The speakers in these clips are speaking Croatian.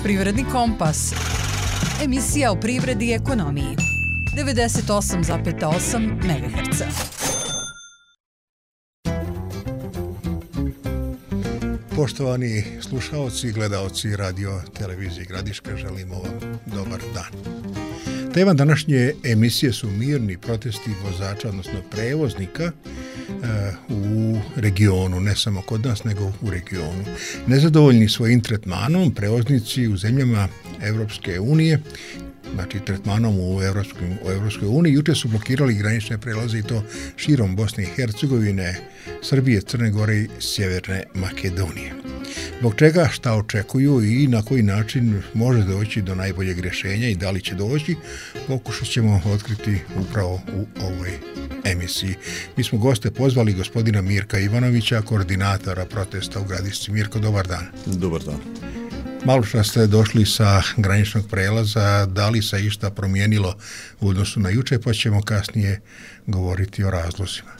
Privredni kompas. Emisija o privredi i ekonomiji. 98,8 MHz. Poštovani slušaoci i gledaoci radio televizije Gradiška, želimo vam dobar dan. Tema današnje emisije su mirni protesti vozača, odnosno prevoznika u regionu, ne samo kod nas, nego u regionu. Nezadovoljni svojim tretmanom, prevoznici u zemljama Evropske unije, znači tretmanom u Evropskoj uniji, juče su blokirali granične prelaze i to širom Bosne i Hercegovine, Srbije, Crne Gore i Sjeverne Makedonije. Zbog čega, šta očekuju i na koji način može doći do najboljeg rješenja i da li će doći, pokušat ćemo otkriti upravo u ovoj emisiji. Mi smo goste pozvali gospodina Mirka Ivanovića, koordinatora protesta u Gradišci. Mirko, dobar dan. Dobar dan. Malo što ste došli sa graničnog prelaza, da li se išta promijenilo u odnosu na juče, pa ćemo kasnije govoriti o razlozima.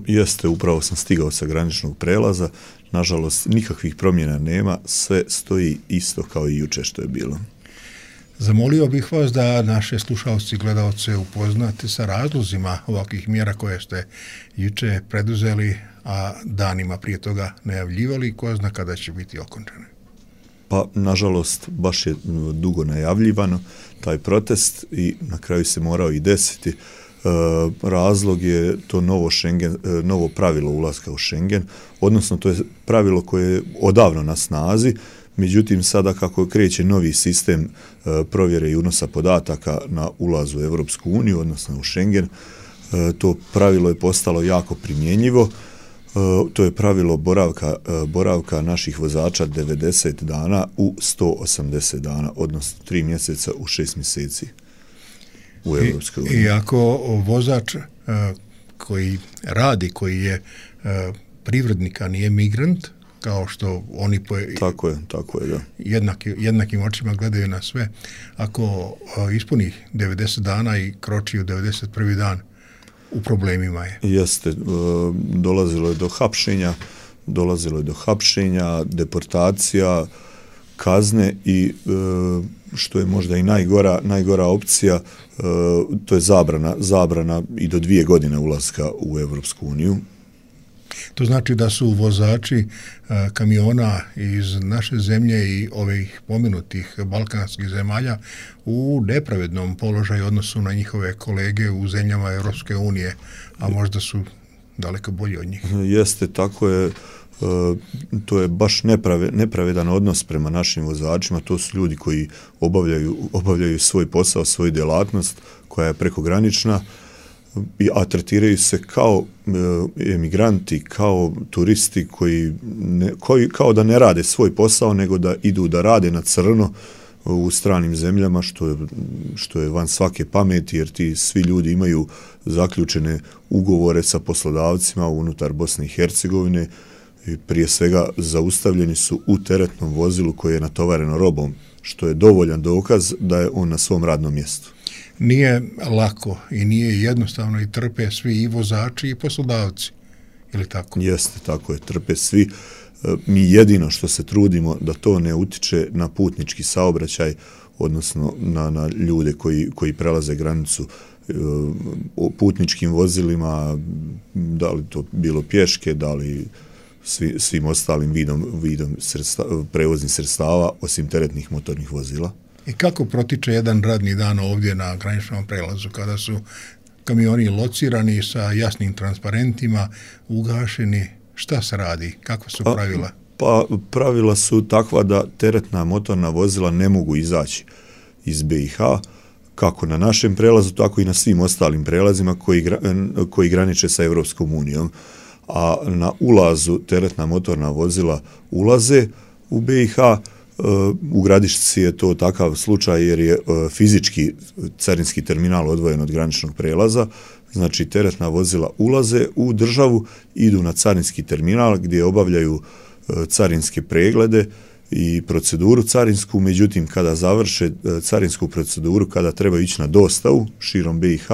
Jeste, upravo sam stigao sa graničnog prelaza. Nažalost, nikakvih promjena nema, sve stoji isto kao i juče što je bilo. Zamolio bih vas da naše slušalci i gledalce upoznate sa razlozima ovakvih mjera koje ste juče preduzeli, a danima prije toga najavljivali, ko zna kada će biti okončane. Pa, nažalost, baš je dugo najavljivano taj protest i na kraju se morao i desiti. Razlog je to novo pravilo ulaska u Schengen, odnosno to je pravilo koje je odavno na snazi, međutim sada kako kreće novi sistem provjere i unosa podataka na ulazu u Europsku uniju, odnosno u Schengen, to pravilo je postalo jako primjenjivo. To je pravilo boravka naših vozača 90 dana u 180 dana, odnosno 3 mjeseca u 6 mjeseci u Europskoj uniji. I ako vozač koji radi, koji je privrednik, a nije migrant, kao što oni Tako je, da. Jednakim očima gledaju na sve, ako ispuni 90 dana i kroči u 91. dan, u problemima je. Jeste, dolazilo je do hapšenja, deportacija, kazne i što je možda i najgora opcija, to je zabrana i do 2 godine ulaska u Europsku uniju. To znači da su vozači kamiona iz naše zemlje i ovih pomenutih balkanskih zemalja u nepravednom položaju odnosu na njihove kolege u zemljama Europske unije, a možda su daleko bolji od njih. Jeste, tako je. To je baš nepravedan odnos prema našim vozačima. To su ljudi koji obavljaju svoj posao, svoju djelatnost koja je prekogranična, a tretiraju se kao emigranti, kao turisti koji kao da ne rade svoj posao, nego da idu da rade na crno u stranim zemljama, što je van svake pameti, jer ti svi ljudi imaju zaključene ugovore sa poslodavcima unutar Bosne i Hercegovine i prije svega zaustavljeni su u teretnom vozilu koje je natovareno robom, što je dovoljan dokaz da je on na svom radnom mjestu. Nije lako i nije jednostavno i trpe svi i vozači i poslodavci, ili tako? Jeste, tako je, trpe svi. Mi jedino što se trudimo da to ne utiče na putnički saobraćaj, odnosno na ljude koji prelaze granicu putničkim vozilima, da li to bilo pješke, da li svim ostalim vidom prevoznih sredstava, osim teretnih motornih vozila. I kako protiče jedan radni dan ovdje na graničnom prelazu kada su kamioni locirani sa jasnim transparentima, ugašeni? Šta se radi? Kakva su pravila? Pa pravila su takva da teretna motorna vozila ne mogu izaći iz BiH, kako na našem prelazu, tako i na svim ostalim prelazima koji graniče sa Europskom unijom. A na ulazu teretna motorna vozila ulaze u BiH. U Gradišci je to takav slučaj jer je fizički carinski terminal odvojen od graničnog prelaza, znači teretna vozila ulaze u državu, idu na carinski terminal gdje obavljaju carinske preglede i proceduru carinsku, međutim kada završe carinsku proceduru, kada treba ići na dostavu širom BiH,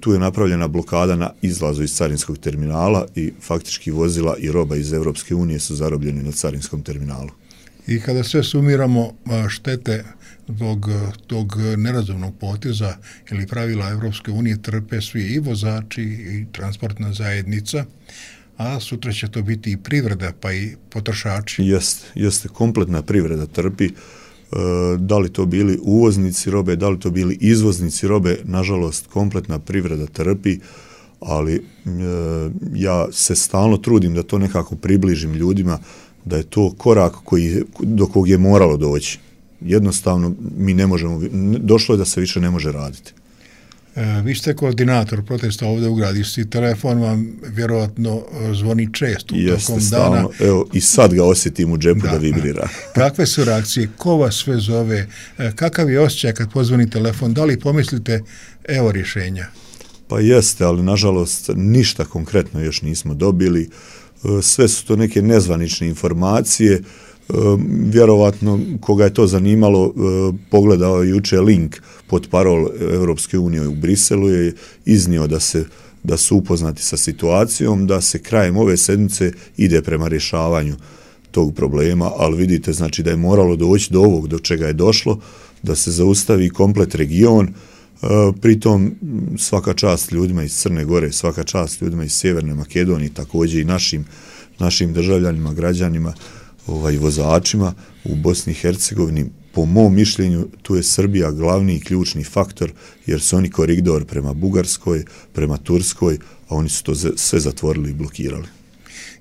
tu je napravljena blokada na izlazu iz carinskog terminala i faktički vozila i roba iz Europske unije su zarobljeni na carinskom terminalu. I kada sve sumiramo štete zbog tog nerazumnog poteza ili pravila Evropske unije trpe svi i vozači i transportna zajednica, a sutra će to biti i privreda pa i potrošači. Jeste, kompletna privreda trpi. Da li to bili uvoznici robe, da li to bili izvoznici robe, nažalost kompletna privreda trpi, ali ja se stalno trudim da to nekako približim ljudima, da je to korak do kog je moralo doći. Jednostavno mi ne možemo, došlo je da se više ne može raditi. Vi ste koordinator protesta ovdje u Gradišci, telefon vam vjerojatno zvoni često tokom stalno, dana. Evo i sad ga osjetim u džepu da vibrira. Kakve su reakcije, ko vas sve zove, kakav je osjećaj kad pozvoni telefon, da li pomislite evo rješenja? Pa jeste, ali nažalost ništa konkretno još nismo dobili, sve su to neke nezvanične informacije. Vjerovatno koga je to zanimalo pogledao juče link pod parol Europske unije u Briselu, je iznio da su upoznati sa situacijom, da se krajem ove sedmice ide prema rješavanju tog problema, ali vidite znači da je moralo doći do ovog do čega je došlo, da se zaustavi komplet region. Pritom svaka čast ljudima iz Crne Gore, svaka čast ljudima iz Sjeverne Makedonije, također i našim državljanima, građanima, vozačima u Bosni i Hercegovini. Po mom mišljenju tu je Srbija glavni i ključni faktor, jer su oni koridor prema Bugarskoj, prema Turskoj, a oni su to sve zatvorili i blokirali.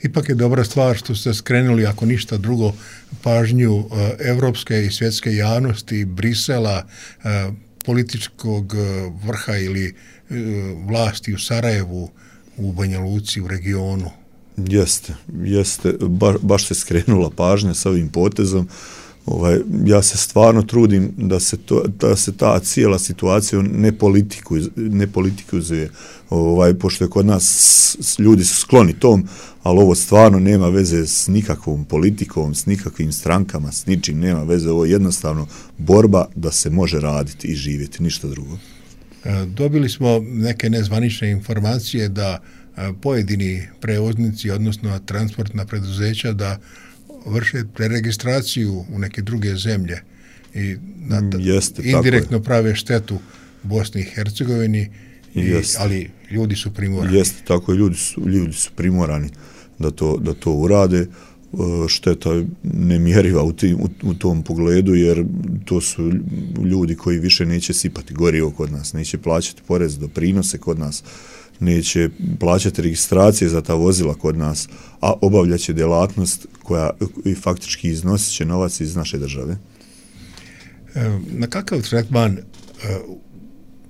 Ipak je dobra stvar što ste skrenuli, ako ništa drugo, pažnju evropske i svjetske javnosti, Brisela, političkog vrha ili vlasti u Sarajevu, u Banja Luci, u regionu. Jeste, baš se skrenula pažnja sa ovim potezom. Ja se stvarno trudim da se ta cijela situacija ne politikuzuje, pošto je kod nas ljudi su skloni tom, ali ovo stvarno nema veze s nikakvom politikom, s nikakvim strankama, s ničim nema veze, ovo je jednostavno borba da se može raditi i živjeti, ništa drugo. Dobili smo neke nezvanične informacije da pojedini prevoznici, odnosno transportna preduzeća, da vrše preregistraciju u neke druge zemlje i indirektno prave štetu Bosni i Hercegovini, ali ljudi su primorani. Jeste, tako je, ljudi su primorani da to urade. Šteta je nemjeriva u tom pogledu, jer to su ljudi koji više neće sipati gorivo kod nas, neće plaćati porez, doprinose kod nas, neće plaćati registracije za ta vozila kod nas, a obavljaće djelatnost koja i faktički iznosit će novac iz naše države. Na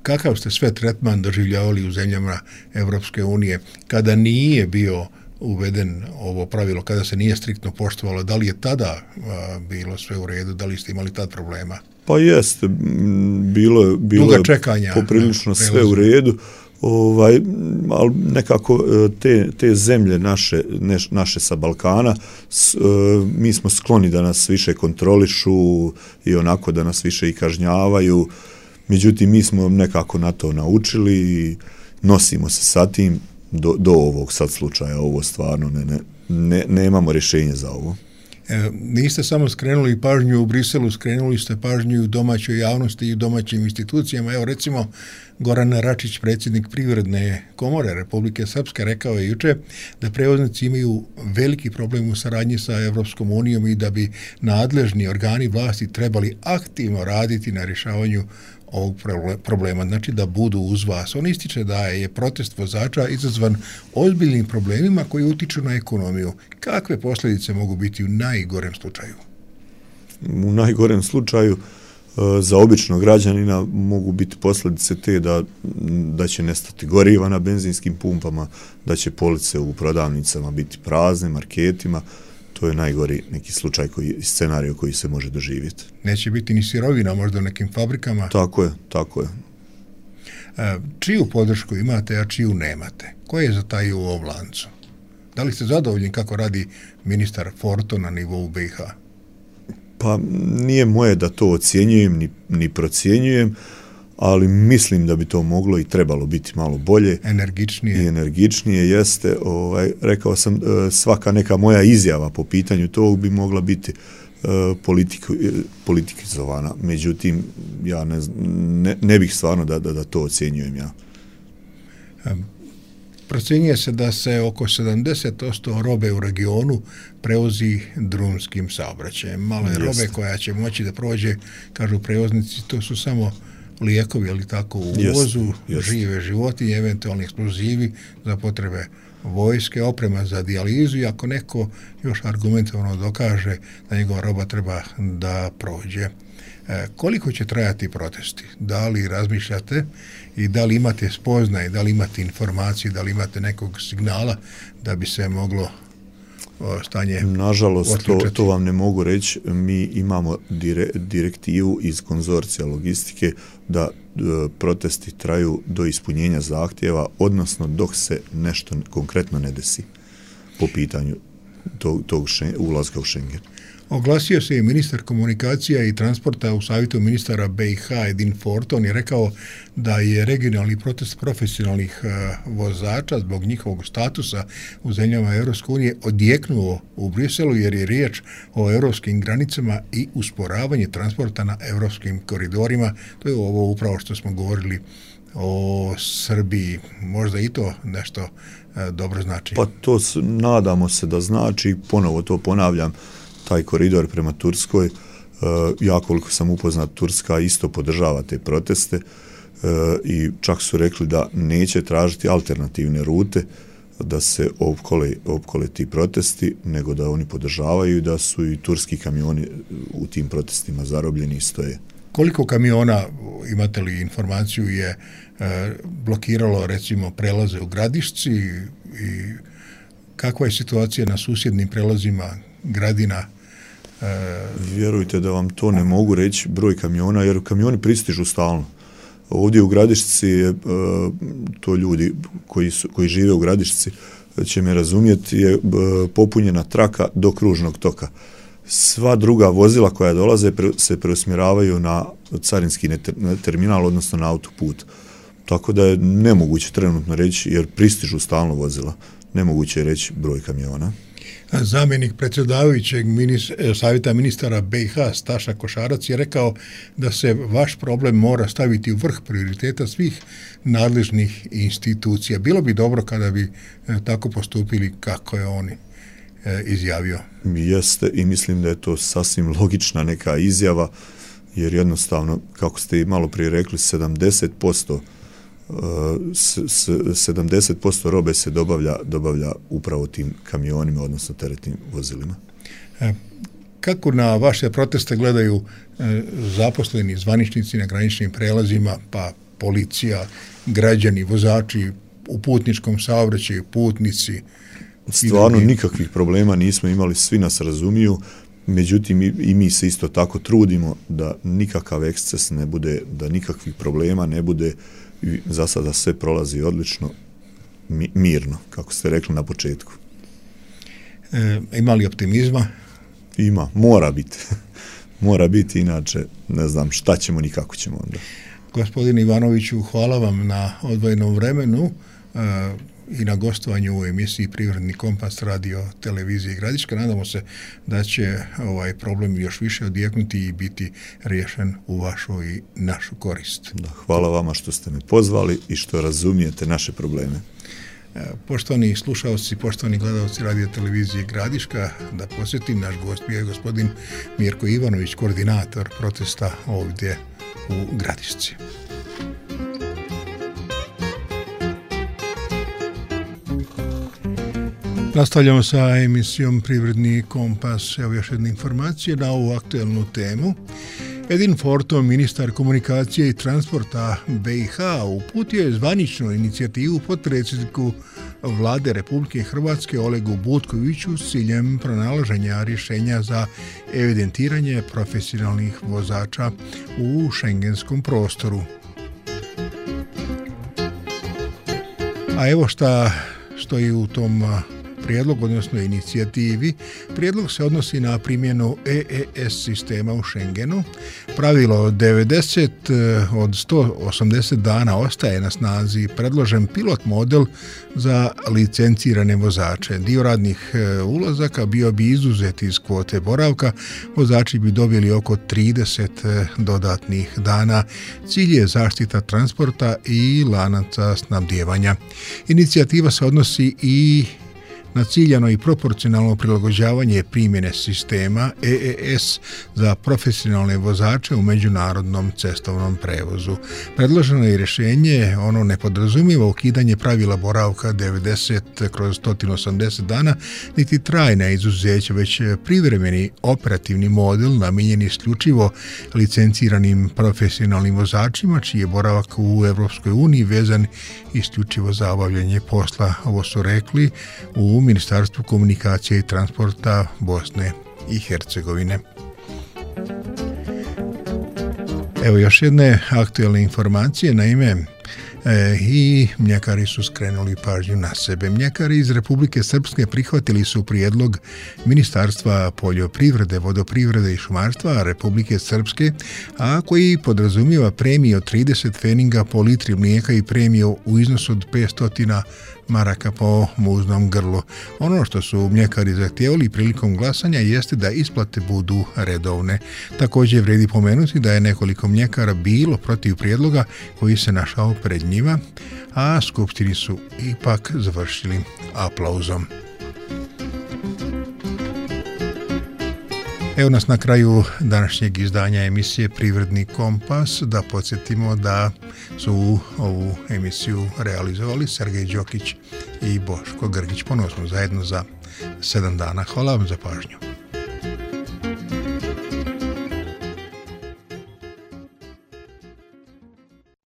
kakav ste sve tretman doživljavali u zemljama Evropske unije kada nije bio uveden ovo pravilo, kada se nije striktno poštovalo? Da li je tada bilo sve u redu, da li ste imali tad problema? Pa jeste, bilo je poprilično sve u redu. Ali nekako te zemlje naše sa Balkana, mi smo skloni da nas više kontrolišu i onako da nas više i kažnjavaju. Međutim, mi smo nekako na to naučili i nosimo se sa tim do ovog sad slučaja. Ovo stvarno nemamo rješenje za ovo. Niste samo skrenuli pažnju u Briselu, skrenuli ste pažnju u domaćoj javnosti i u domaćim institucijama. Evo recimo Goran Račić, predsjednik Privredne komore Republike Srpske, rekao je juče da prevoznici imaju veliki problem u saradnji sa Evropskom unijom i da bi nadležni organi vlasti trebali aktivno raditi na rješavanju ovog problema, znači da budu uz vas. On ističe da je protest vozača izazvan ozbiljnim problemima koji utiču na ekonomiju. Kakve posljedice mogu biti u najgorem slučaju? U najgorem slučaju za običnog građanina mogu biti posljedice te da će nestati goriva na benzinskim pumpama, da će police u prodavnicama biti prazne, marketima. To je najgori neki slučaj, scenarij koji se može doživjeti. Neće biti ni sirovina možda u nekim fabrikama? Tako je. Čiju podršku imate, a čiju nemate? Ko je zatajio u ovom lancu? Da li ste zadovoljni kako radi ministar Forto na nivou BiH? Pa nije moje da to ocjenjujem ni procjenjujem, ali mislim da bi to moglo i trebalo biti malo bolje. Energičnije jeste. Rekao sam, svaka neka moja izjava po pitanju tog bi mogla biti politikizovana. Međutim, ja ne bih stvarno da to ocjenjujem ja. Procjenjuje se da se oko 70% robe u regionu prevozi drumskim saobraćajem. Malo je robe koja će moći da prođe, kažu prevoznici, to su samo lijekovi, ali tako u uvozu, žive životinje, eventualni eksplozivi za potrebe vojske, oprema za dijalizu i ako neko još argumentovano dokaže da njegova roba treba da prođe. Koliko će trajati protesti? Da li razmišljate i da li imate spoznaje, da li imate informacije, da li imate nekog signala da bi se moglo stanje nažalost, to vam ne mogu reći. Mi imamo direktivu iz konzorcija logistike da protesti traju do ispunjenja zahtjeva, odnosno dok se nešto konkretno ne desi po pitanju tog ulaska u Schengen. Oglasio se i ministar komunikacija i transporta u savjetu ministara BiH Edin Forton je rekao da je regionalni protest profesionalnih vozača zbog njihovog statusa u zemljama Europske unije odjeknuo u Briselu jer je riječ o europskim granicama i usporavanje transporta na europskim koridorima. To je ovo upravo što smo govorili o Srbiji. Možda i to nešto dobro znači. Pa to nadamo se da znači, ponovo to ponavljam, taj koridor prema Turskoj, ja koliko sam upoznat, Turska isto podržava te proteste i čak su rekli da neće tražiti alternativne rute da se opkole ti protesti, nego da oni podržavaju i da su i turski kamioni u tim protestima zarobljeni i stoje. Koliko kamiona, imate li informaciju, je blokiralo recimo prelaze u Gradišci i kakva je situacija na susjednim prelazima Gradina? Vjerujte da vam to ne mogu reći broj kamiona, jer kamioni pristižu stalno. Ovdje u Gradišci je, to ljudi koji žive u Gradišci će me razumjeti, je popunjena traka do kružnog toka. Sva druga vozila koja dolaze se preusmjeravaju na carinski terminal, odnosno na autoput. Tako da je nemoguće trenutno reći, jer pristižu stalno vozila. Nemoguće je reći broj kamiona. Zamjenik predsjedavajućeg savjeta ministara BiH Staša Košarac je rekao da se vaš problem mora staviti u vrh prioriteta svih nadležnih institucija. Bilo bi dobro kada bi tako postupili kako je on izjavio. Jeste i mislim da je to sasvim logična neka izjava, jer jednostavno, kako ste i malo prije rekli, 70% robe se dobavlja upravo tim kamionima, odnosno teretnim vozilima. Kako na vaše proteste gledaju zaposleni zvaničnici na graničnim prelazima, pa policija, građani, vozači u putničkom saobraćaju, putnici? Stvarno nikakvih problema nismo imali, svi nas razumiju, međutim i mi se isto tako trudimo da nikakav eksces ne bude, da nikakvih problema ne bude. Za sada sve prolazi odlično, mirno, kako ste rekli na početku. Ima li optimizma? Ima, mora biti. Mora biti, inače ne znam šta ćemo ni kako ćemo onda. Gospodine Ivanoviću, hvala vam na odvojenom vremenu i na gostovanju u emisiji Privredni kompas radio televizije Gradiška. Nadamo se da će ovaj problem još više odjeknuti i biti riješen u vašu i našu korist. Da, hvala vama što ste me pozvali i što razumijete naše probleme. Poštovani slušalci, poštovani gledalci radio televizije Gradiška, da posjetim, naš gost je gospodin Mirko Ivanović, koordinator protesta ovdje u Gradišci. Nastavljamo sa emisijom Privredni kompas. Evo još jedna informacija na ovu aktuelnu temu. Edin Forton, ministar komunikacije i transporta BiH, uputio je zvaničnu inicijativu potpredsjedniku Vlade Republike Hrvatske Olegu Butkoviću s ciljem pronalaženja rješenja za evidentiranje profesionalnih vozača u šengenskom prostoru. A evo šta stoji u tom prijedlogu, odnosno inicijativi. Prijedlog se odnosi na primjenu EES sistema u Schengenu. Pravilo 90 od 180 dana ostaje na snazi. Predložen pilot model za licencirane vozače. Dio radnih ulazaka bio bi izuzet iz kvote boravka. Vozači bi dobili oko 30 dodatnih dana. Cilj je zaštita transporta i lanaca snabdijevanja. Inicijativa se odnosi i na ciljano i proporcionalno prilagođavanje primjene sistema EES za profesionalne vozače u međunarodnom cestovnom prevozu. Predloženo je rješenje, ono ne podrazumijeva ukidanje pravila boravka 90/180 dana, niti trajna izuzeća, već privremeni operativni model namijenjen isključivo licenciranim profesionalnim vozačima, čiji je boravak u Europskoj uniji vezan isključivo za obavljanje posla. Ovo su rekli u Ministarstvu komunikacije i transporta Bosne i Hercegovine. Evo još jedne aktualne informacije, naime i mljekari su skrenuli pažnju na sebe. Mljekari iz Republike Srpske prihvatili su prijedlog Ministarstva poljoprivrede, vodoprivrede i šumarstva Republike Srpske, a koji podrazumijeva premiju od 30 pfeninga po litri mlijeka i premiju u iznosu od 500 maraka po muznom grlu. Ono što su mljekari zahtijevali prilikom glasanja jeste da isplate budu redovne. Također vredi pomenuti da je nekoliko mljekara bilo protiv prijedloga koji se našao pred njima, a skupštini su ipak završili aplauzom. Evo nas na kraju današnjeg izdanja emisije Privredni kompas. Da podsjetimo da su ovu emisiju realizovali Sergej Đokić i Boško Grgić. Ponovno smo zajedno za 7 dana. Hvala vam za pažnju.